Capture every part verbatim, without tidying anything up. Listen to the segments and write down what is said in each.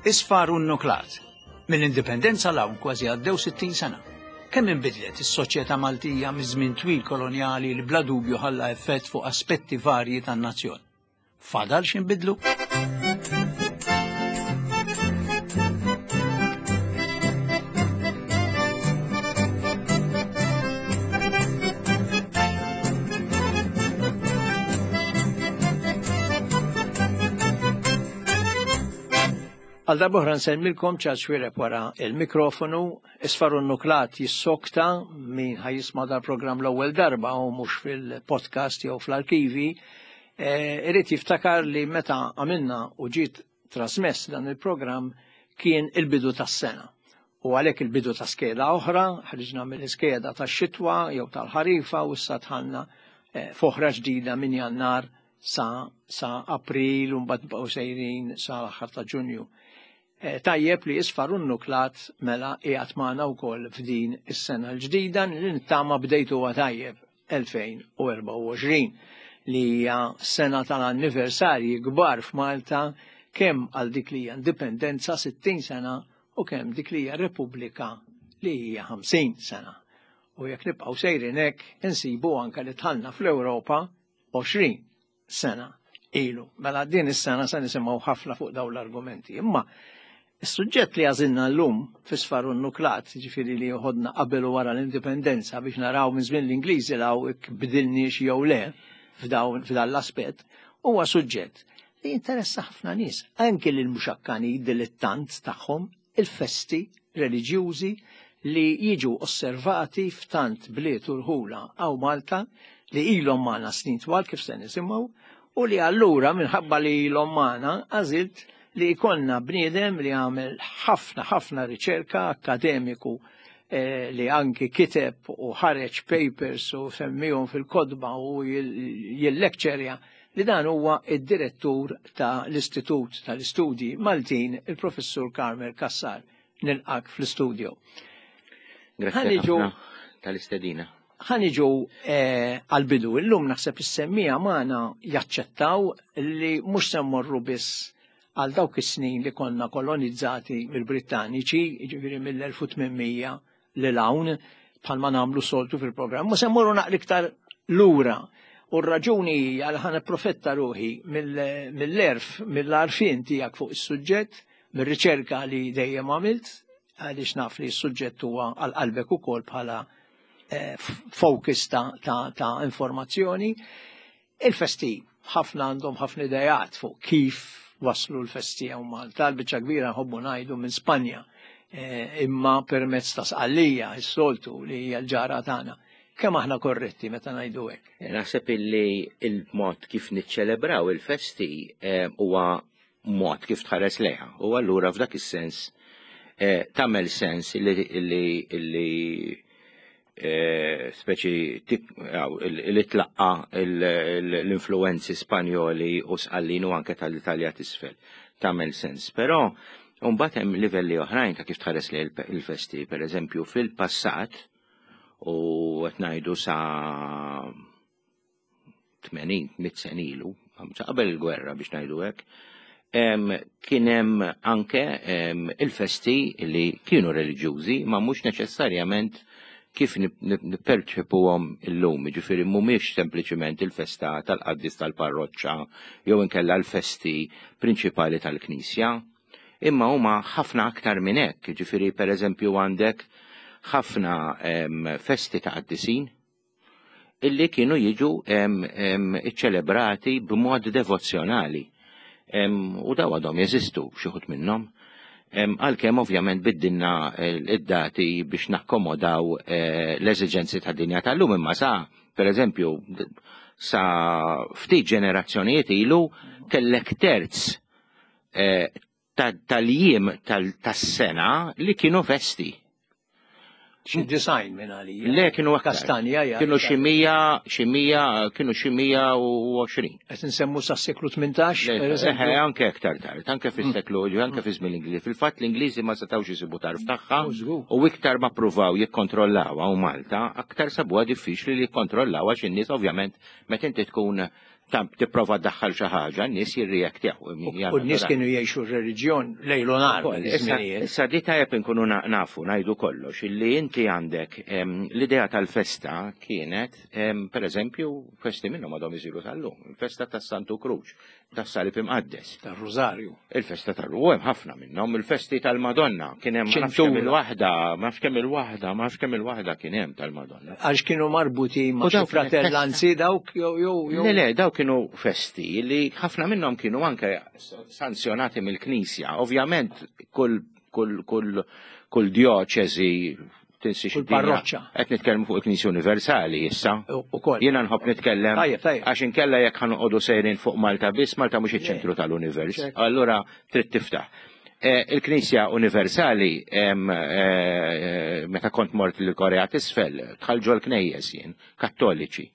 Isfar u nuklat. Mill-indipendenza 'l hawn kważi għaddew sittin sena. Kemm inbidlet is-soċjetà Maltija miż-żmien twil kolonjali li bla dubju ħalla effett fuq aspetti varji tan-nazzjon. Fadal x'inbidlu? Għal darbohra nsellmilkom Charles Xuereb wara il-mikrofonu, Isfar u Nuklat jissokta min ħa jisma' dal-programm l-ewwel darba u mhux fil-podcast jew fl-arkivi, eh, irid jiftakar li meta għamilna u ġiet trasmess dan il-programm kien il-bidu tas-sena. U għalhekk il-bidu ta' skeda oħra, ħriġna mill-iskeda tax-xitwa jew tal-ħarifa u issa dħalna eh, f'oħra ġdida minn Jannar sa, sa April u mbagħad nibqgħu sejrin sa l-aħħar ta' Ġunju. Eh, tajjeb li Isfar u Nuklat mela qiegħed magħna wkoll f'din is-sena l-ġdida li nittama bdejtuha tajjeb elfejn u erbgħa u għoxrin li hija sena tal-anniversarji kbar f'Malta kemm għal dik li hija indipendenza sittin sena u kemm dik li hija Repubblika li hija ħamsin sena. U jekk nibqgħu sejrin hekk insibu anke li dħalna fl-Ewropa għoxrin sena ilu. Mela din is-sena se nisimgħu ħafna fuq dawn l-argumenti. Imma is-suġġett li għażilna llum f'Isfar u Nuklat, ġifieri li joħodna qabel u wara l-indipendenza biex naraw minn żmien l-Ingliżi law bdilniex jew le f'dawn f'dan l-aspett, huwa suġġett li jinteressa ħafna nies, anke lil muxakkani dilettant tagħhom, il-festi reliġjużi li jiġu osservati f'tant bliet u rħula hawn Malta li ilhom magħna snin twal kif se nisimgħu, u li allura minħabba li ilhom magħna għażilt li jkollna bniedem li għamel ħafna ħafna riċerka akademiku, eh, li anki kiteb u ħareġ papers u semmihom fil-kodba u jil-lekċerja, li dan huwa id-direttur ta' l-Istitut tal-Istudji Maltin, il-Professur Carmel Cassar. Nilqak fl-istudio. Grazie Ħaniġu ħafna tal-istedina. Ħaniġu, eh, għal-bidu. Illum naħseb is-semmija magħna jaċċettaw li mhux se mmorru biss għal dawk is-snin li konna kolonizzati mill-Brittaniċi, jiġifieri mill-elf u tmien mija lil hawn, bħalma nagħmlu soltu fil-programm, ma se mmorru naqra iktar lura. U r-raġuni hija li ħa nipprofetta ruħi mill-, mill-erf, mill-għarfien tiegħek fuq is-suġġett, mir-riċerka li dejjem għamilt, għaliex naf li s-suġġett huwa għal qalbek ukoll bħala, eh, focus ta', ta', ta' informazzjoni. Il-festi ħafna għandhom ħafna idejat fuq kif waslu l-festi hawn Malta, l-biċċa kbira nħobbu ngħidu minn Spanja, eh, imma permezz ta' Sqallija, is-soltu li hija l-ġara tagħna. Kemm aħna korretti meta ngħidu hekk? Eh, naħseb illi il-mod kif niċċelebraw il-festi, eh, huwa mod kif tħares lejha. U allura f'dak is-sens, eh, tagħmel sens illi, illi, illi, eh, speċi tik-, għaw, il-, li tlaqqa il-, il-, l-influenzi Spanjoli u Sqallin u anke tal-Italja t'isfel. Tagħmel sens. Però mbagħad hemm livelli oħrajn ta' kif tħares lejn il-, il-festi, per eżempju fil-passat u qed ngħidu sa tmenin, mitt sena ilu, sa qabel il-gwerra biex ngħidu hekk, em, kien hemm anke, em, il-festi li kienu reliġjużi, ma mhux neċessarjament kif nip-, nip-, nipperċepuhom illum, jiġifieri mhumiex sempliċiment il-festa tal-qaddis tal-parroċċa jew inkella l-festi prinċipali tal-Knisja, imma huma ħafna aktar minn hekk, jiġifieri pereżempju għandek ħafna, em, festi ta' qaddisin illi kienu jiġu, em, em, iċċelebrati b'mod devozzjonali. Em, u daw għadhom jeżistu xi wħud minnhom. Em, għalkemm ovvjament biddilna id-dati biex nakkomodaw, eh, l-eżiġenzi ta' dinja tal-lum, imma sa, per eżempju, sa ftit ġenerazzjonijiet ilu kellek terz, eh, ta-, tal-jiem tal-, tas-sena li kienu festi. Xi design minn għalija. Le, kienu aktar. Kastanja, ja. Kienu xi mija, xi mija, kienu xi mija u għoxrin. Qed insemmu sa seklu tmintax, Le, per eżempju? eh, anke aktar tard, anke fis-seklu, Mm. anke fi żmien l-Ingliżi. Fil-fatt l-Ingliżi ma setgħux isibu tarf tagħha Oh, żgur. u iktar ma ppruvaw jikkontrollawha u Malta, aktar sabuha diffiċli li jikkontrollawha għax in-nies ovvjament meta inti tkun Tipprova ddaħħal xi ħaġa, n-nies jirreaktjaw. U n-nies kienu jgħixu r-reliġjon lejl u nhar. Issa di tajjeb inkunu nafu ngħidu kollox illi inti għandek l-idea tal-festa kienet, per eżempju, festi minnhom għadhom isiru tal-lum, il-festa tas-Santu Kruċ, tas-Salib Imqaddes. Tar-Rużarju. Il-festa tar-Rużarju, hemm ħafna minnhom, il-festi tal-Madonna, kien hemm ma nafx kemm il-waħda, ma nafx kemm il-waħda, ma nafx kemm il-waħda kien hemm tal-Madonna. Għax kienu marbuti ma' xi fratellanzi dawk jew jew jew. Le le, dawk kienu festi li ħafna minnhom kienu anke sanzjonati mill-Knisja. Ovvjament kull kull kull kull djoċeżi tinsiex Kull parroċċa. Qed nitkellmu fuq il-Knisja Universali issa. Ukoll. Jiena nħobb nitkellem għax inkella jekk ħanoqogħdu sejrin fuq Malta biss, Malta mhux iċ-ċentru tal-univers. Allura trid tiftaħ. Il-Knisja Universali meta kont mort l-Korea t'Isfel, dħalt ġol knejjes jien, kattoliċi.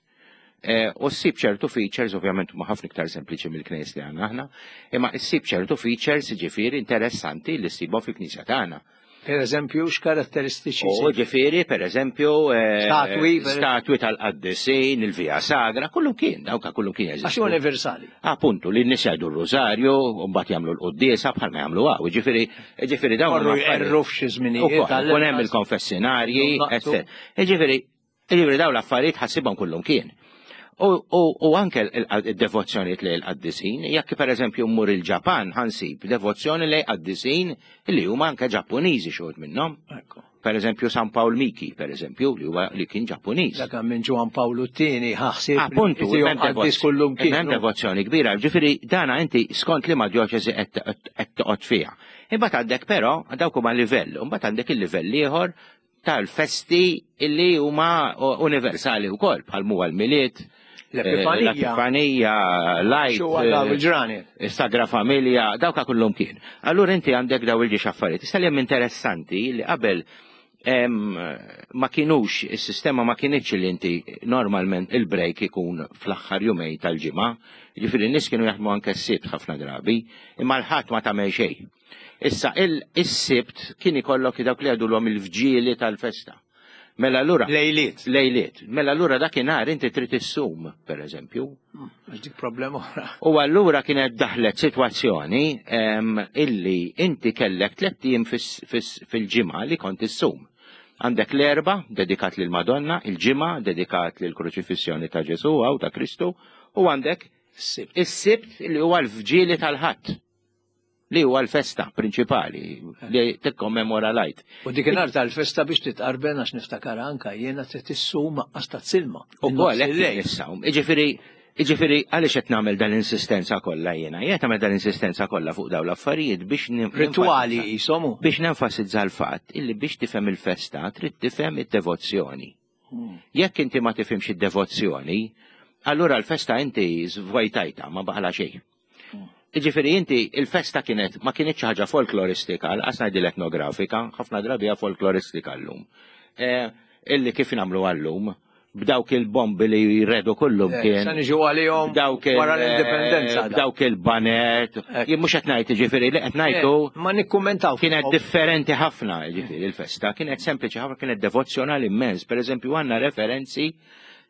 U ssib ċertu features, ovvjament huma ħafna iktar sempliċi mill-knejjes li għandna aħna, imma ssib ċertu features ġifieri interessanti li ssibhom fil-Knisja tagħna. Per eżempju, x'karatteristiċi? U ġifieri, per eżempju, statwi, statwi tal-qaddisin, il-Via Sagra, kullu kien, dawk kullu kien jeżistu. Għax universali. Appuntu, li n-nies jgħidu r-rużarju, u mbagħad jagħmlu l-quddiesa bħalma jagħmlu hawn. Ġifieri, ġifieri dawn. Morru jqerru f'xi żminijiet. Ukoll hemm il-konfessinarji, eċċetera. Ġifieri, ġifieri dawn l-affarijiet ħassibhom kullum kien. U anke il-devozzjonijiet lejn il-qaddisin, jekk per eżempju mmur il-Ġapan ħansib devozzjoni lejn qaddisin li huma anke Ġappuniżi xi wħud minnhom. Per eżempju San Pawl Miki, per eżempju, li huwa li kien Ġappuniż. Dak minn Ġwan Pawlu t-tieni ħaħsib. Appuntu, hemm devozzjoni kbira. Ġifieri dana inti skont li ma djoċesi qed toqgħod fiha. Imbagħad għandek però dawk huma livell, imbagħad għandek il-livell ieħor tal-festi illi huma universali wkoll bħal huwa l-Milied, l-Epifanija, l-Epifanija, l-Għid, is-Sagra Familja, dawk kullum kien. Allura inti għandek daw il-ġiex affarijiet. Issa li hemm interessanti li qabel ma kienux, is-sistema ma kienitx li inti normalment il-break ikun fl-aħħar jumej tal-ġimgħa, jiġifieri n-nies kienu jaħdmu anke s-Sibt ħafna drabi, imma l-Ħadd ma tagħmel xejn. Issa is-Sibt kien ikollok dawk li għadulhom il-vġieli tal-festa. Mela allura lejliet. Lejliet. Mela allura dakinhar inti trid issum, per eżempju. Għax dik problema oħra. U allura kienet daħlet sitwazzjoni illi inti kellek tliet ijiem fil-ġimgħa li kont issum. Għandek l-Erbgħa dedikat lil Madonna, il-Ġimgħa dedikat lil kruċifissjoni ta' Ġesù u ta' Kristu, u għandek is-Sibt li huwa l-vġieli tal-Ħadd, li huwa l-festa prinċipali li tikkommemora l-Għid. U dik in-nhar tal-festa biex titqarben għax niftakar anka jiena trid issum aqqas ta' silma. Ukoll hekk issawm. Jiġifieri, jiġifieri għaliex qed nagħmel dan l-insistenza kollha jiena? Jien qed nagħmel dan l-insistenza kollha fuq dawn l-affarijiet biex ritwali jisomu. Biex nenfasizza l-fatt illi biex tifhem il-festa trid tifhem id-devozzjoni. Jekk inti ma tifhimx id-devozzjoni, allura l-festa inti żvojtajta ma baqala xejn. Jiġifieri inti il-festa kienet ma kienitx ħaġa folkloristika, lanqas ngħidil etnografika, ħafna drabi hija folkloristika llum. Illi kif nagħmlu għallum, b'dawk il-bombi li jredu kullum kien. Sa niġu għalihom wara l-indipendenza. B'dawk il-banet. Jien mhux qed ngħid jiġifieri li qed ngħidu. Ma nikkummentaw. Kienet differenti ħafna jiġifieri il-festa, kienet sempliċi ħafna, kienet devozzjonali immens. Per eżempju għandna referenzi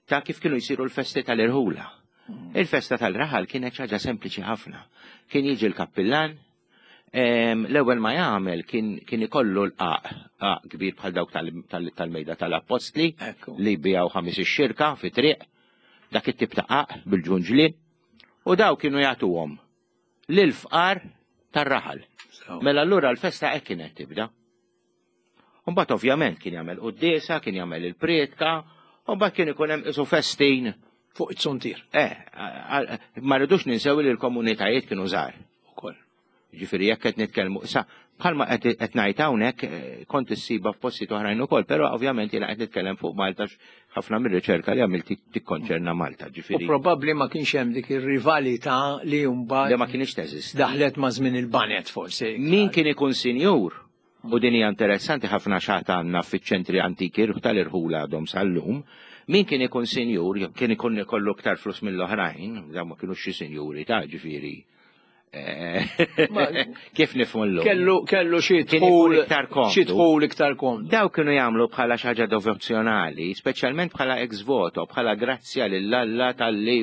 ta' kif kienu jsiru l-festi tal-irħula. Il-festa tal-raħal kienet ħaġa sempliċi ħafna. Kien jiġi l-kappillan, l-ewwel ma jagħmel kien ikollu l-qaq, qaq kbir bħal dawk tal-mejda tal-appostli li bijaw ħames ix-xirka fi triq, dak it-tip ta' qaq bil-ġunġlien, u daw kienu jagħtuhom lil fqar tar-raħal. Mela allura l-festa hekk kienet tibda. U mbagħad ovvjament kien jagħmel quddiesa, kien jagħmel il-prietka, u mbagħad kien ikun hemm isu festin fuq it-suntier. Eh, ma rridux ninsew li l-komunitajiet kienu żgħar. Ukoll. Ġifieri jekk qed nitkellmu, sa bħalma qed ngħid hawnhekk kont issiba f'postijiet oħrajn ukoll, però ovvjament jiena qed nitkellem fuq Malta ħafna mir-riċerka li għamilt tikkonċerna Malta, ġifieri. U probabbli ma kienx hemm dik ir-rivalità li mbagħad li ma kienx teżisti. Daħlet ma' żmien il-banet forsi. Min kien ikun sinjur? U din hija interessanti ħafna xaħat għandna fiċ-ċentri antiki tal-irħula għadhom sal-lum. Min kien ikun sinjur, kien ikun ikollu iktar flus mill-oħrajn, dawn ma kienux xi sinjuri ta' ġifieri. eh, kif nifhmu llum. Kellu kellu xi Kien ikun dħul iktar komdu. xi dħul iktar komdu. Daw kienu jagħmlu bħala xi ħaġa devozzjonali, speċjalment bħala ex voto, bħala grazzja lil Alla talli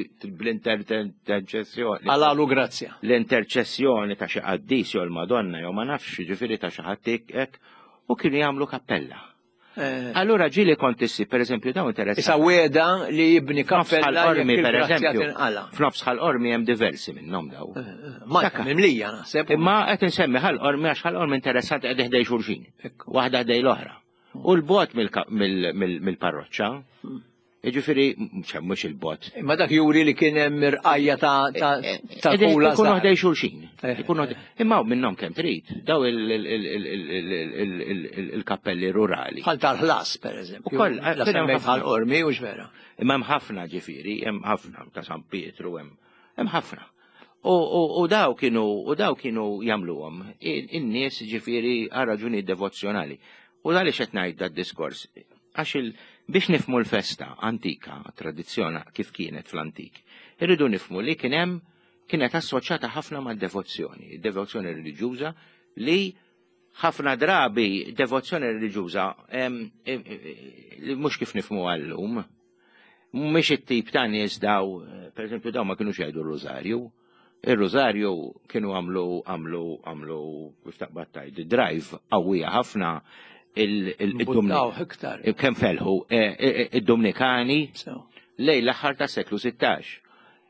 bl-interċessjoni. Għalalu grazzja. L-interċessjoni ta' xi qaddis jew l-Madonna jew ma nafx, ġifieri ta' xi ħadd hekk, u kienu jagħmlu kappella. Eh, Allura ġieli kont issib, per eżempju, dawn interessanti. Issa weda li jibni F'nofs kappella Ħal Qormi, jekk per il-grazzja eżempju, tinqala. f'nofs Ħal Qormi hemm diversi minnhom daw. Malta Dakka. mimlija naħseb. Imma qed insemmi Ħal Qormi għax Ħal Qormi interessanti qed ħdej xulxin. Ekku. Waħda ħdej l-oħra. U l-bot mill- mill- mill- mill-parroċċa, jiġifieri mhux mhux il-bot. Imma dak juri li kien hemm irqajja ta' ta' ta' Qegħdin kula Ikunu żgħar. ħdej xulxin. Eh, Ikunu ħdej- Imma minnhom kemm trid, daw il- il- il- il- il- il- il- il- il-kappelli rurali. Bħal tal-ħlas, per eżempju. Ukoll, La kien hemm semmejt ħafna. Ħal Qormi u vera. Imma hemm ħafna ġifieri, hemm ħafna ta' San Pietru, hemm hemm ħafna. U, u, u daw kienu u daw kienu jagħmluhom in-nies ġifieri għal raġuni devozzjonali. U għaliex qed ngħid dad-diskors? Għax il biex nifhmu l-festa antika, tradizzjona kif kienet fl-antik, irridu nifhmu li kien hemm kienet assoċjata ħafna mad-devozzjoni, devozzjoni reliġjuża li ħafna drabi devozzjoni reliġjuża em, em, li mhux kif nifhmu għallum, mhux it-tip ta' nies daw, per eżempju daw ma kienux jgħidu r-rożarju. Ir-rożarju kienu għamlu għamlu għamlu kif taqbad tgħid drive qawwija ħafna Buttaw il-Dominikan. iktar. Kemm felħu eh, eh, id-Dominikani So. lejn l-aħħar ta' seklu sittax.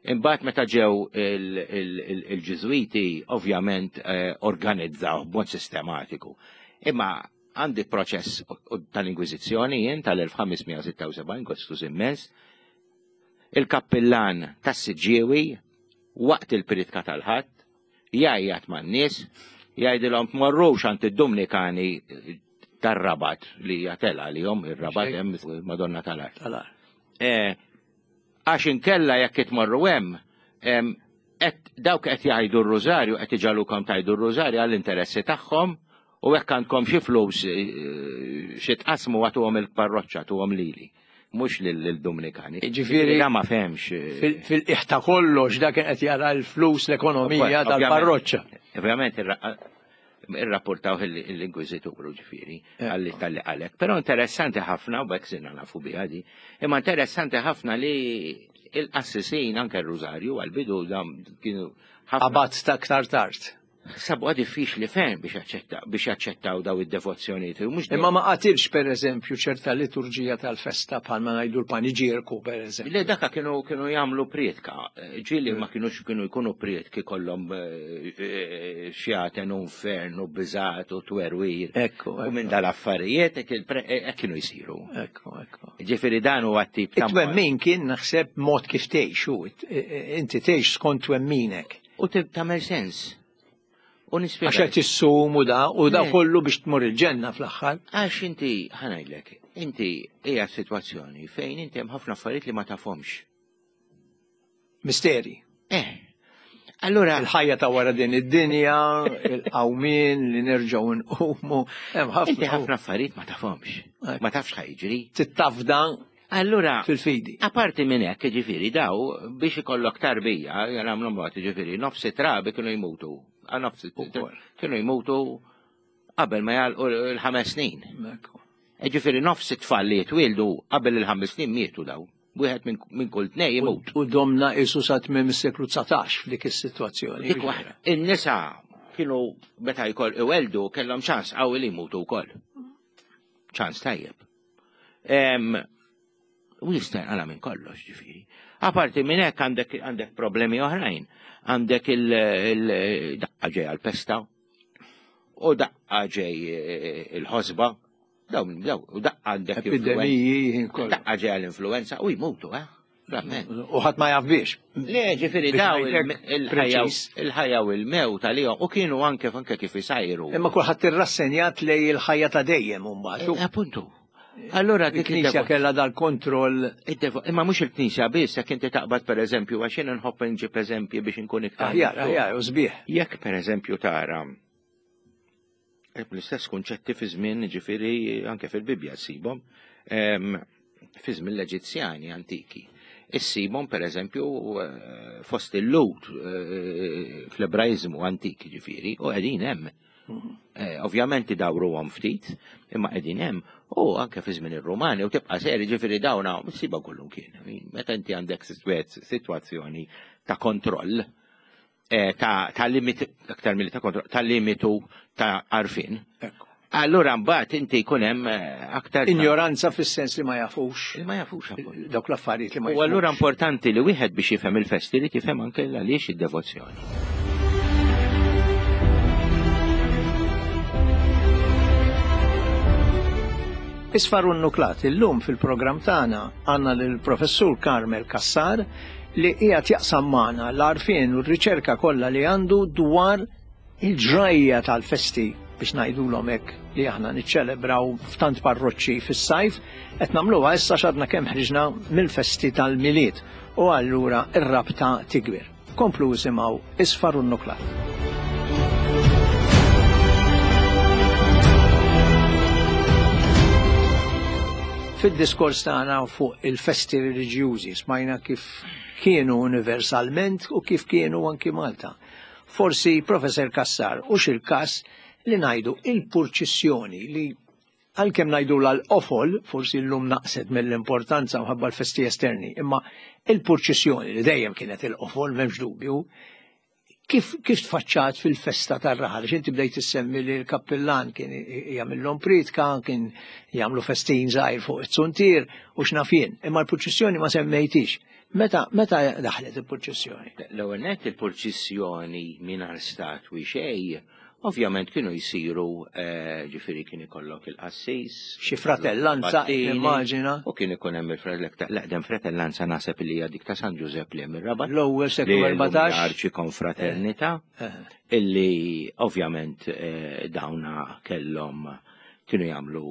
Imbagħad meta ġew il- il- il- il-Ġiżwiti ovvjament eh, organizzaw b'mod sistematiku. Imma għandi proċess tal-Inkwiżizzjoni jien tal-elf ħames mija sitta u sebgħin, kostuż immens, il-kappillan tas-Siġġiewi waqt il-pritka tal-Ħadd jgħajjat man-nies jgħidilhom tmorrux għand id-Dominikani tar-Rabat li jatela li jom ir-Rabat Xejn. hemm Madonna tal-Art. Tal-ar. Eh, Għax inkella jekk itmorru hemm, em, qed dawk qed jgħidu r-rużarju qed iġalukom tgħidu r-rużarju għall-interessi tagħhom u hekk għandkom xi flus eh, xi tqasmu għatuhom il-parroċċa tuhom lili, mhux lil-Dominikani. Ġifieri- Da ma fehmx. eh, Fil- Fil-qiegħ ta' kollox dak kien qed jara l-flus l-ekonomija Ovvjament. tal-parroċċa. Ovvjament irra- irrapportaw l-Inkwiżitur ġifieri Ekku. għalli tal-li għalek. Però interessanti ħafna, u hekk sirna nafu biha di, imma interessanti ħafna li il-qassisin anke r-Rużarju għal-bidu dam kienu ħafna Qabat ta' aktar tard. sabu diffiċli ferm biex jaċċetta biex jaċċettaw daw id-devozzjonijiet. U mhux Imma ma qatilx per eżempju ċerta liturġija tal-festa bħalma ngħidu l-paniġierku per eżempju. Le daka kienu kienu jagħmlu prietka. Ġieli ma kienux kienu jkunu prietki kollhom eh, eh, xjaten u infern u biżat u twerwir. Ekku, U minn ekku, dal-affarijiet hekk il-pre- hekk kienu jsiru. ekku, ekku. Ġifieri dan huwa t-tip ta' It-twemmin kien naħseb mod kif tgħix u it- inti tgħix skont twemminek. U tib tagħmel sens. U nispjega. Għax qed issum u da u da Le. kollu biex tmur il-ġenna fl-aħħar. Għax inti, ħa ngħidlek, inti hija situazzjoni fejn inti hemm ħafna affarijiet li ma tafhomx. Misteri. Eh. Allura, Il-ħajja ta' wara din id-dinja, il-qawmien li nerġgħu nqumu, hemm inti ħafna. ħafna affarijiet ma tafhomx. Ekku. Ma tafx ħa jiġri. Tittafda Allura, fil-fidi. Aparti minn hekk, ġifieri, daw biex ikollok tarbija, jagħmlu mod, ġifieri, nofs trabi kienu jmutu. Ah, Nofs Ukoll. kienu jmutu qabel ma jagħlqu l-ħames snin. Ekku. E Ġifieri nofs it-tfal li jitwieldu qabel il-ħames snin mietu daw. Wieħed minn minn kull tnej jimut. U domna isu sa tmiem is-seklu dsatax f'dik is-sitwazzjoni. Dik waħda. In-nisa kienu meta jkoll iweldu kellhom ċans qawwi li jmutu wkoll. Ċans tajjeb. Em, U jista' jinqala minn kollox ġifieri. Aparti minn hekk għandek għandek problemi oħrajn. Għandek il-daqqa ġej għal-pesta u daqqa ġej eh, il-ħosba. Dawn daw u daqqa għandek influenza. Epidemiji ħin kollu. Daqqa ġej għall-influenza u jmutu, eh? Verament. U ħadd ma jaf biex. Le, ġifieri Biex daw ngħidlek il-ħajja preċiż. il-ħajja u l-mewt għalihom u kienu anke anke kif isajru. Imma kulħadd irrassenjat lej il-ħajja ta' dejjem imbagħad. Eh, Appuntu. Allora dik Il-Knisja id-devo- kellha dal-kontroll id-devo- Imma mhux il-Knisja biss, jekk inti taqbad pereżempju, għax jien nħobb nġib eżempji biex inkun iktar. aħjar, miftuħ. aħjar, u sbieħ. Jekk pereżempju tara eh, l-istess kunċetti fi żmien ġifieri anke fil-Bibbja ssibhom, em, fi żmien l-Eġizzjani antiki. issibhom pereżempju eh, fost il-Lhud eh, fl-Ebraiżmu antik ġifieri u qegħdin hemm. Eh, ovvjament idawruhom ftit, imma qegħdin hemm u anke fi żmien ir-Rumani u tibqa' seri ġifieri dawna ssiba kullum kien. Meta inti għandek sitwazzjoni ta' kontroll, eh, ta' ta' limit aktar milli ta' kontroll, ta' limitu ta' għarfien. Allura mbagħad inti jkun hemm eh, aktar Ignoranza fis-sens li ma jafux Li ma jafux appuntu. dawk l-affarijiet li ma U allura jafux. importanti li wieħed biex jifhem il-festi li tifhem anke għaliex id-devozzjoni. Isfar u n-nuklat, illum fil-programm tagħna għandna lill-professur Carmel Cassar li qiegħed jaqsam magħna l-għarfien u r-riċerka kollha li għandu dwar il-ġrajja tal-festi biex ngħidulhom hekk li aħna niċċelebraw f'tant parroċċi fis-sajf, qed nagħmluha issa x'għadna kemm ħriġna mill-festi tal-Milied u allura r-rabta tikbir. Komplu isimgħu Isfar u n-nuklat. Fid-diskors tagħna fuq il-festi reliġjużi smajna kif kienu universalment u kif kienu anki Malta. Forsi Professor Cassar u xil-kas li ngħidu il-purċissjoni li għalkemm ngħidu l-qofol, forsi llum naqset mill-importanza mħabba l-festi esterni, imma il-purċissjoni li dejjem kienet il-qofol, m'hemmx dubju, kif, kif tfaċċat fil-festa tar-raħal? Għax inti bdejt issemmi li l-kappillan kien jagħmilhom pritka, kien jagħmlu festin żgħir fuq it-suntier u x'naf jien, imma l-purċissjoni ma semmejtix. Meta, meta daħlet il-purċissjoni? L-ewwel nett il-purċissjoni mingħajr statwi xejn, ovvjament kienu jsiru, eh, ġifieri kien ikollok il-qassis, Xi fratellanza, Battini, immaġina. U kien ikun hemm il-fratellanza, fratellanza naħseb li hija dik ta' San Ġużepp li hemm ir-Rabat. L-ewwel seklu Li llum erbatax. hija arċi konfraternità, Eh, illi ovvjament, eh, dawna kellhom kienu jagħmlu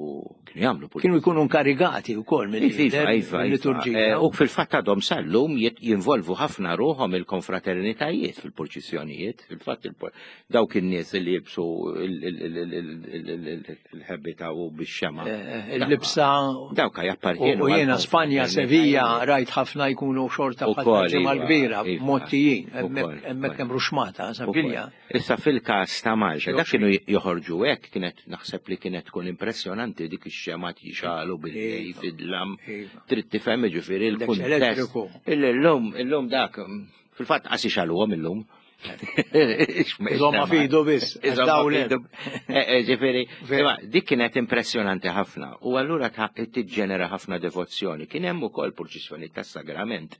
kienu jagħmlu Kienu jkunu inkarigati wkoll Iva, iva, iva, iva. mill-liturġija. Eh, U fil-fatt għadhom sal-lum jit- jinvolvu ħafna ruħhom il-konfraternitajiet fil-purċissjonijiet. Fil-fatt il-por-, dawk in-nies li jilbsu il-, il-, il-, il-, il-, il-, il-ħebbita u bix-xema. Eh, eh, il-libsa Dawk jappartienu U jiena għal Spanja, konfraternitajiet. Sevilla, rajt ħafna jkunu xorta U bħal kol, ġimgħa iva, kbira, iva. mottijin, U kol, hemmhekk hemmhekk hemm ruxmata, U Sevilla. kol. Issa fil-każ ta' Malta, dak Xi kienu joħorġu hekk, kienet naħseb li kienet tkun impressjonanti dik ix-xema jixalu bil-lejl Iva. fid-dlam. Iva. Trid tifhem ġifieri Dak il-kuntest. elettriku. Illum, illum dak, fil-fatt qas ixaluhom illum. Iżomma fidu biss, Iżomma dawl fidu. Eh, eh, Ġifieri, Vera. imma dik kienet impressjonanti ħafna u allura ta' tiġġenera ħafna devozzjoni. Kien hemm ukoll purċissjoni tas-sagrament.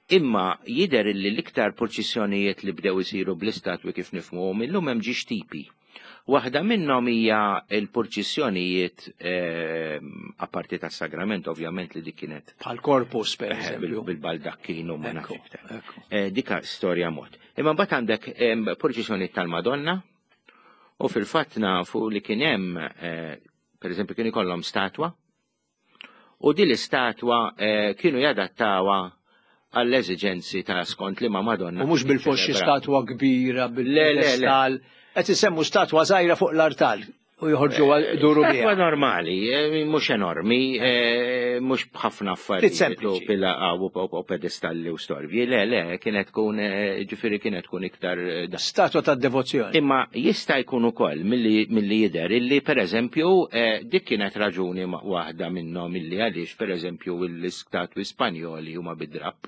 Imma jidher li l-iktar purċissjonijiet li bdew isiru bl-istatwi kif nifhmuhom illum hemm ġiex tipi. Waħda minnhom hija l-purċissjonijiet, ehm, apparti tas-sagrament, ovvjament li dik kienet Bħal korpus, per Eh, bil- eżempju. bil-baldakkin u ma nafx Ekku, iktar. ekku. Eh, dika storja mod. Imma mbagħad għandek, ehm, purċissjoni tal-Madonna u fil-fatt nafu li kien hemm, eh, per eżempju, kien ikollhom statwa u din l-istatwa, eh, kienu jadattawha għall-eżiġenzi ta' skont li ma' Madonna. U mhux bil-forsi ċelebra. statwa kbira, Le, le, le. bil-pedestal. Qed isemmu statwa żgħira fuq l-artal u joħorġu Eh, duru Statwa biha. normali, eh, mhux enormi, eh, mhux b'ħafna affarijiet sempliċi. u pila u, u, u pedestalli u storbji. Le, le, kienet tkun, eh, ġifieri kienet tkun iktar, eh, da. Statwa ta' devozzjoni. Imma jista' jkun ukoll milli, milli jidher illi pereżempju, eh, dik kienet raġuni ma-, waħda minnhom illi għaliex pereżempju l-istatwi Spanjoli huma bid-drapp.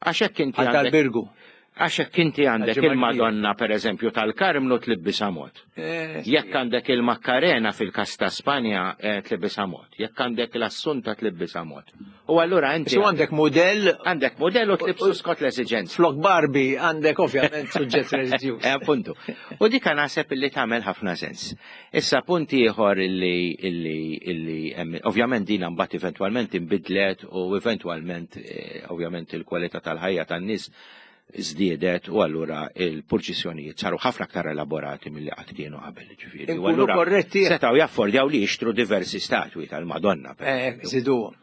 Għax hekk inti Għal għandek tal-Birgu. Għax hekk inti għandek Għal-ġimgħa il-Madonna pereżempju tal-Karmnu tlibbisha mod. Eh, Jekk għandek il-Makkarena fil-kas ta' Spanja, eh, tlibbisha mod. Jekk għandek l-Assunta tlibbisha mod. U allura inti Su għandek modell għandek modell u tlibsu skont l-eżiġenza. Flok Barbie għandek ovvjament suġġett reliġjuż. Eh, appuntu. U dik naħseb illi tagħmel ħafna sens. Issa punt ieħor illi, illi, illi hemm, ovvjament din mbagħad eventwalment inbidlet u eventwalment, eh, ovvjament il-kwalità tal-ħajja tan-nies żdiedet u allura il-purċissjonijiet saru ħafna aktar elaborati milli qatt kienu qabel, ġifieri. U Inkunu allura korretti. setgħu jaffordjaw li jixtru diversi statwi tal-Madonna, per Eh, eżempju. Zidu.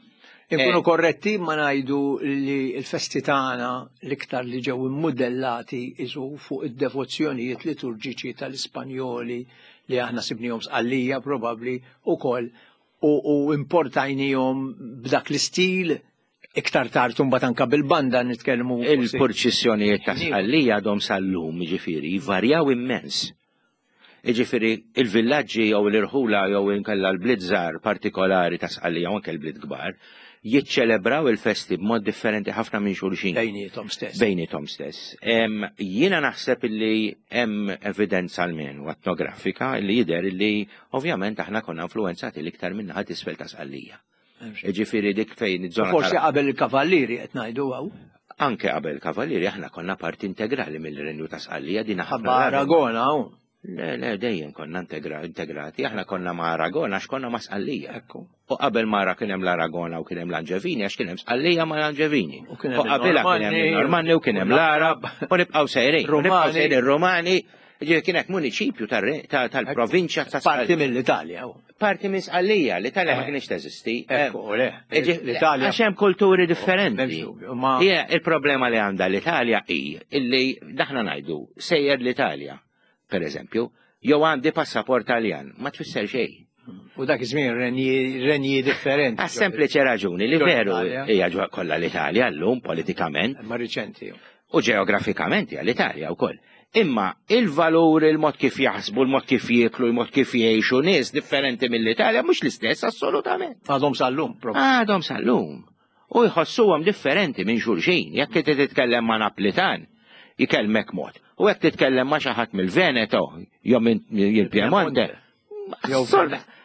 Inkunu Eh. korretti ma ngħidu li l-festi tagħna l-iktar li ġew immodellati isu fuq id-devozzjonijiet liturġiċi tal-Ispanjoli li aħna sibnihom Sqallija probabbli ukoll u, u importajnihom b'dak l-istil. Iktar tard imbagħad anka bil-banda nitkellmu. Il-purċissjonijiet ta' Sqallija għadhom sal-lum, ġifieri, jvarjaw immens. Ġifieri, il-villaġġi jew l-irħula jew inkella l-bliet żgħar partikolari ta' Sqallija u anke l-bliet kbar, jiċċelebraw il-festi b'mod differenti ħafna minn xulxin. Bejnietom stess. Bejnietom stess. Jiena naħseb illi hemm evidenza almenu etnografika li jidher illi ovvjament aħna konna influenzati l-iktar minn naħa t'isfel ta' Sqallija. Ġifieri dik fejn iż-żona. Forsi qabel il-Kavallieri qed ngħidu hawn. Anke qabel il-Kavallieri aħna konna parti integrali mill-Renju ta' Sqallija din ħabba Aragona hawn. Le, le, dejjem konna integrati, aħna konna ma' Aragona għax konna ma' Sqallija. U qabel mara kien hemm l-Aragona u kien hemm l-Anġevini għax kien hemm Sqallija ma' l-Anġevini. U qabilha kien hemm il-Normanni u kien hemm l-Arab u nibqgħu sejrin. Nibqgħu sejrin Romani. Ġifieri kien hekk muniċipju tal-provinċja ta' Parti mill-Italja. Parti minn Sqallija, l-Italja ma kienx teżisti. Ekku, le. L-Italja. Għax hemm kulturi differenti. Hija il-problema li għandha l-Italja hi illi daħna ngħidu sejjer l-Italja, per eżempju, jew għandi passaport Taljan, ma tfisser xejn. U dak iż-żmien renji differenti. Għas sempliċi raġuni li veru hija kollha l-Italja llum politikament. Ma riċenti. U ġeografikament hija l-Italja wkoll. Imma il-valur, il-mod kif jaħsbu, il-mod kif jieklu, il-mod kif jgħixu nies differenti mill-Italja mhux l-istess assolutament. Għadhom sal-lum. Għadhom sal-lum. U jħossuhom differenti minn xulxin. Jekk inti titkellem ma' Naplitan, jkellmek mod. U jekk titkellem ma' xi ħadd mill-Veneto, jew minn il-Piemonte.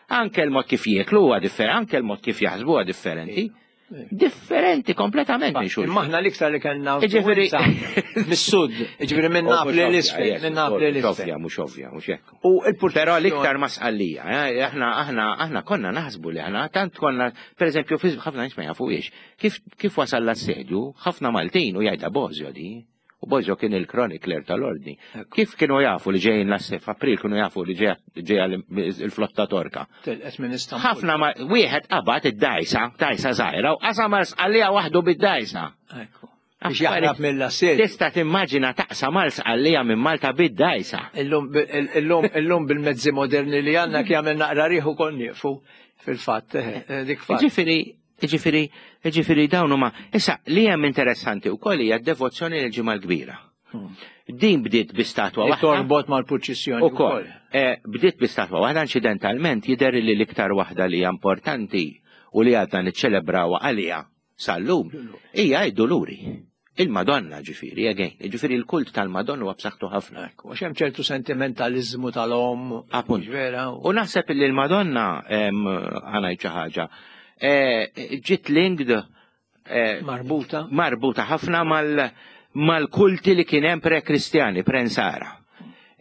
Anke l-mod kif jieklu huwa differenti, anke l-mod kif jaħsbu huwa differenti. Differenti kompletament minn xulxin. Imma aħna l-iktar li kellna mis-sud, ġifieri minn Napli l-isfel, minn Napli l-isfel. Ovvja, mhux ovvja, mhux hekk. U Però l-iktar ma' Sqallija, aħna aħna aħna konna naħsbu li aħna tant konna, pereżempju, ħafna nies ma jafuhiex, kif kif wasal l-assedju, ħafna Maltin u jgħidha Bosio di. U Bosio kien il-chronicler tal-ordni. Kif kienu jafu li ġejjin l-assef, April kienu jafu li ġejja il-flotta Torka. Ħafna ma wieħed qabad id-dajsa, dajsa żgħira, u qasam Sqallija waħdu bid-dajsa. Biex jaħrab mill-assedju. Tista' timmaġina taqsam Sqallija minn Malta bid-dajsa. Illum bil-mezzi moderni li għandna kif jagħmel naqra riħu kon nieqfu fil-fatt dik fatt. Ġifieri Ġifieri, ġifieri dawn huma. Issa li hemm interessanti wkoll hija d-devozzjoni lil Ġimgħa l-Kbira. Din bdiet bi statwa waħda. Torbot mal-purċissjoni ukoll. Bdiet bi statwa waħda inċidentalment jidher li l-iktar waħda li hija importanti u li għadna niċċelebrawha għaliha sal-lum hija d-Duluri. Il-Madonna ġifieri, again, ġifieri l-kult tal-Madonna huwa b'saħħtu ħafna. Għax hemm ċertu sentimentaliżmu tal-omm. Appunt. U naħseb li l-Madonna ħa ngħid xi ħaġa ġiet linked marbuta marbuta ħafna mal-kulti li kien hemm pre-Kristjani, pre-Nsara.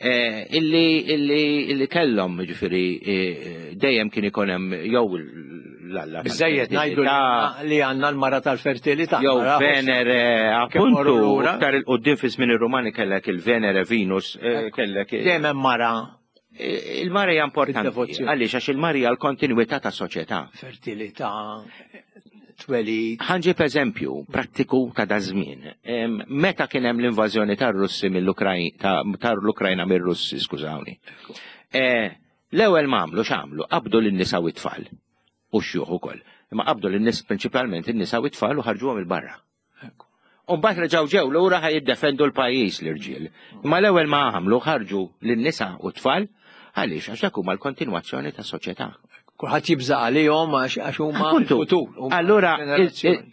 Illi illi illi kellhom ġifieri dejjem kien ikun hemm jew l-Alla. Biżejjed ngħidu li għandna l-mara tal-fertilità. Jew Venere, appuntu, iktar il-qudiem fi żmien ir-Rumani kellek il-Venere Venus, kellek. Dejjem hemm mara. Il-mara hija importanti. Għaliex għax il-mara hija l-kontinwità ta' soċjetà. Fertilità, twelid. Ħa nġib eżempju prattiku ta' daż-żmien. Meta kien hemm l-invażjoni tar-Russi mill-Ukrajna, tal-Ukrajna mir-Russi, skużawni. L-ewwel ma għamlu x'għamlu, qabdu lin-nisa u t-tfal. U x-xjuħ ukoll. Imma qabdu lin-nies prinċipalment in-nisa u t-tfal u ħarġuhom il-barra. U mbagħad reġgħu ġew lura ħa jiddefendu l-pajjiż l-irġiel. Imma l-ewwel ma għamlu ħarġu lin-nisa u t-tfal għaliex għax dak huma l-kontinwazzjoni ta' soċjetà. Kulħadd jibża' għalihom għax huma l-futur. Allura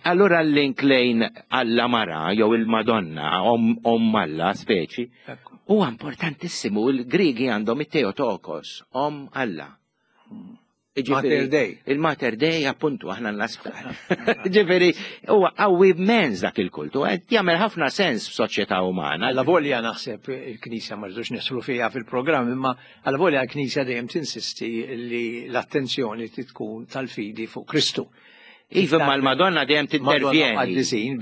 allura l-link lejn Alla mara jew il-Madonna omm Alla speċi huwa importantissimu. Il-Grigi għandhom it-Theotokos, omm Alla. Mater Dei. Il-Mater Dei, appuntu, aħna n-nasptar. Ġifieri, huwa qawwi immens dak il-kultu, qed jagħmel ħafna sens f'soċjetà umana. Alla volja naħseb il-Knisja ma rridux nisru fiha fil-programm, imma alla volja l-Knisja dejjem tinsisti li l-attenzjoni tkun tal-fidi fuq Kristu. Iva, ma l-Madonna dejjem tintervjeni.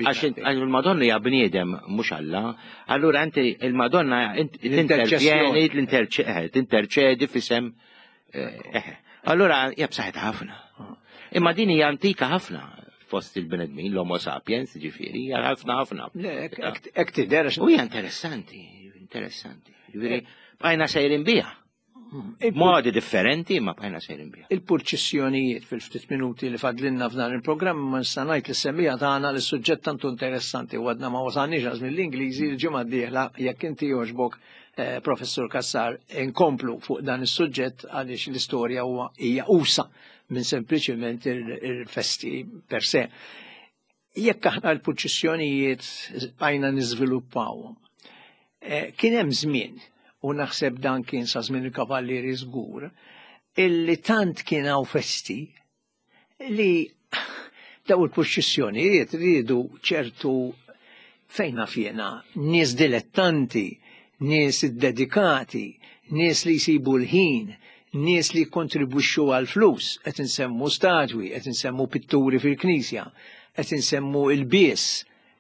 Għax il-Madonna hija bniedem mhux Alla. Allura inti il-Madonna tintervjeni, tinterċedi f'isem. Allura hija b'saħħitha ħafna. Imma din hija antika ħafna fost il-bnedmin, l-Homo sapiens, ġifieri, hija ħafna ħafna. Hekk tidher. U hija interessanti, interessanti. Ġifieri, bqajna sejrin biha. Modi differenti ma bqajna sejrin biha. Il-purċissjonijiet fil-ftit minuti li fadlinna f'dan il-programm ma nista' ngħid li semmija tagħna li suġġett tantu interessanti u għadna ma wasalniex għaż mill-Ingliżi l-ġimgħa d-dieħla jekk inti jogħġbok eh, Professur Cassar inkomplu fuq dan is-suġġett għaliex l-istorja huwa hija usa minn sempliċiment il-festi per se. Jekk aħna l-purċissjonijiet bqajna niżviluppawhom. Eh, kien hemm żmien u naħseb dan kien sa żmien il-kavallieri żgur, illi tant kien hawn festi li daw il-purċissjonijiet riedu ċertu fejn naf jiena, nies dilettanti, nies dedikati, nies li jsibu l-ħin, nies li kontribwixxu għal flus, qed insemmu statwi, qed insemmu pitturi fil-knisja, qed insemmu il-bies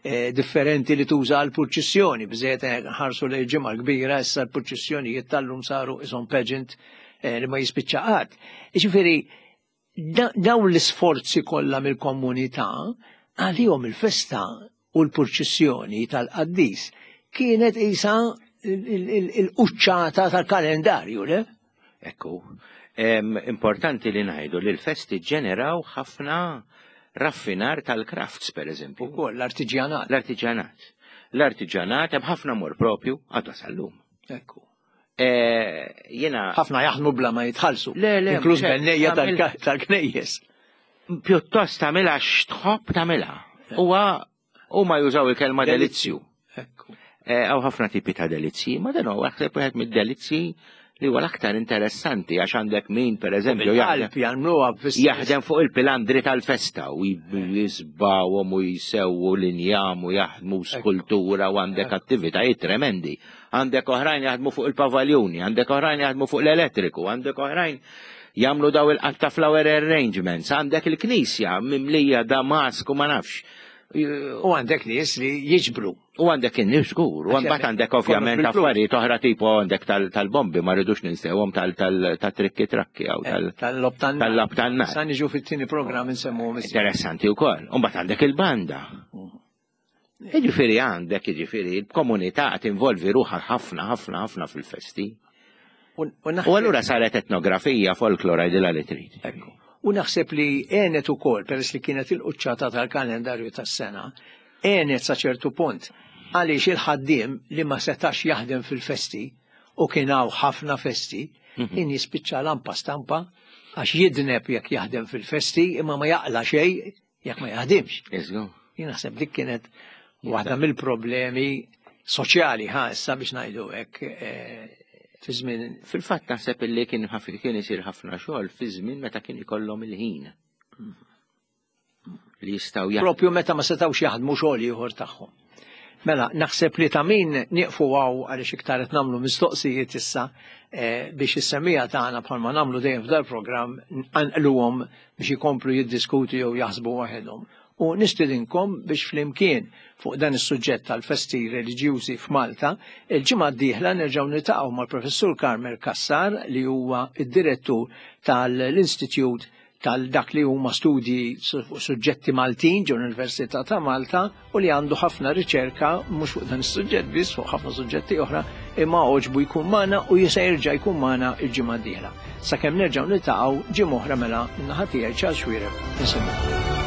eh, differenti li tuża għal purċissjoni, bżejt ħarsu li ġimgħa kbira issa l-purċissjonijiet tal-lum saru ishom pageant eh, li ma jispiċċa qatt. Jiġifieri dawn l-isforzi kollha mill-komunità għalihom il-festa u l-purċissjoni tal-qaddis kienet isa il-quċċata tal-kalendarju, le? Ekku, importanti li ngħidu li l-festi ġeneraw ħafna raffinar tal-crafts, per eżempju. Ukoll l-artiġjanat. L-artiġjanat. L-artiġjanat hemm ħafna mor propju għadha sal-lum. Ekku. Eh, Jena. Ħafna jaħdmu bla ma jitħallsu. Le, le, Inkluż bennejja tal-knejjes. Pjuttost tagħmilha x'tħobb tagħmilha. Huwa huma jużaw il-kelma delizzju. Ekku. Hawn eh, ħafna tipi ta' delizzji, ma dan huwa naħseb wieħed mid-delizzji li huwa l-aktar interessanti għax għandek min per eżempju jaħdem fuq il-pilandri tal-festa u jisbawhom u jsewwu l-injam u jaħdmu skultura u għandek attivitajiet tremendi. Għandek oħrajn jaħdmu fuq il-pavaljuni, għandek oħrajn jaħdmu fuq l-elettriku, għandek oħrajn jagħmlu daw il-qatta flower arrangements, għandek il-knisja mimlija damask u ma nafx. U għandek nies li jiġbru. U għandek in-nies żgur, u mbagħad għandek ovvjament affarijiet oħra tipo għandek tal-bombi ma rridux ninsewhom tal-trikki trakki jew eh, tal-lob tan-nar. Sa niġu fit-tieni programm insemmu. Interessanti wkoll. U mbagħad għandek il-banda. Jiġifieri għandek, jiġifieri il-komunità tinvolvi ruħha ħafna ħafna ħafna fil-festi. U allura saret etnografija, folklora għidilha li trid. Ekku. U naħseb li għenet ukoll, peress li kienet il-quċċata tal-kalendarju tas-sena, għenet sa ċertu punt għaliex il-ħaddiem li ma setax jaħdem fil-festi u kien hawn ħafna festi, mhm. kien jispiċċa lampa stampa għax jidneb jekk jaħdem fil-festi imma ma jaqla xejn jekk ma jaħdimx. Jien naħseb dik kienet waħda mill-problemi soċjali ħa issa biex ngħidu hekk eh, fi żmien. Fil-fatt naħseb illi kien kien isir ħafna xogħol fi żmien meta kien ikollhom il-ħin. Li jistgħu jaħdmu. Propju meta ma setgħux jaħdmu xogħol ieħor tagħhom. Mela, naħseb li ta' min nieqfu hawn għaliex iktar qed nagħmlu mistoqsijiet issa eh, biex is-semmiegħa tagħna bħalma nagħmlu dejjem f'dal programm nqanqluhom biex ikomplu jiddiskutu jew jaħsbu waħedhom. U nistidinkom biex flimkien fuq dan is-suġġett tal-festi reliġjużi f'Malta, il-ġimgħa d-dieħla nerġgħu niltaqgħu mal-Professur Carmel Cassar li huwa id-direttur tal-Institute tal-dak li huma studji fuq suġġetti Maltin ġo l-Università ta' Malta u li għandu ħafna riċerka mhux fuq dan is-suġġett biss fuq ħafna suġġetti oħra imma għoġbu jkun magħna u jista' jerġa' jkun magħna il-ġimgħa d-dieħla. Sakemm nerġgħu niltaqgħu ġimgħa oħra mela min-naħa tiegħi Charles Xuereb insellmilkom.